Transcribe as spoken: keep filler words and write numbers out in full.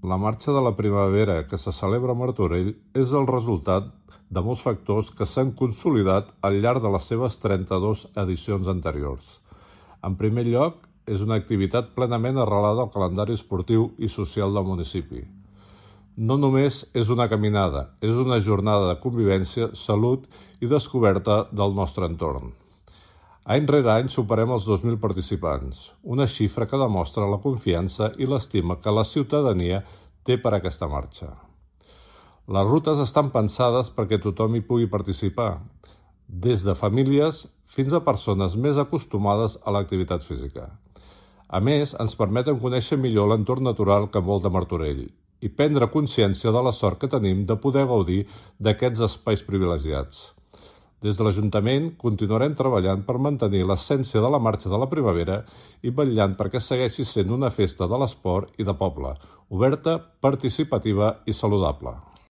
La Marxa de la Primavera que se celebra a Martorell és el resultat de molts factors que s'han consolidat al llarg de les seves trenta-dues edicions anteriors. En primer lloc, és una activitat plenament arrelada al calendari esportiu i social del municipi. No només és una caminada, és una jornada de convivència, salut i descoberta del nostre entorn. Any rere any superem els dos mil participants, una xifra que demostra la confiança i l'estima que la ciutadania té per a aquesta marxa. Les rutes estan pensades perquè tothom hi pugui participar, des de famílies fins a persones més acostumades a l'activitat física. A més, ens permeten conèixer millor l'entorn natural que envolta Martorell i prendre consciència de la sort que tenim de poder gaudir d'aquests espais privilegiats. Des de l'Ajuntament continuarem treballant per mantenir l'essència de la Marxa de la Primavera i vetllant perquè segueixi sent una festa de l'esport i de poble, oberta, participativa i saludable.